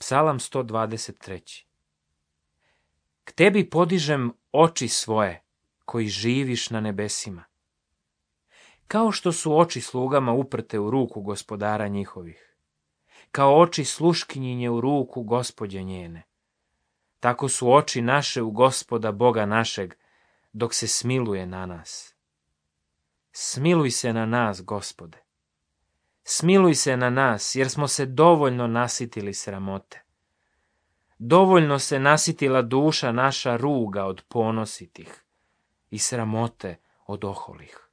Psalam 123. K tebi podižem oči svoje, koji živiš na nebesima. Kao što su oči slugama uprte u ruku gospodara njihovih, kao oči sluškinjinje u ruku gospođe njene, tako su oči naše u Gospoda Boga našeg, dok se smiluje na nas. Smiluj se na nas, Gospode. Smiluj se na nas, jer smo se dovoljno nasitili sramote. Dovoljno se nasitila duša naša ruga od ponositih i sramote od oholih.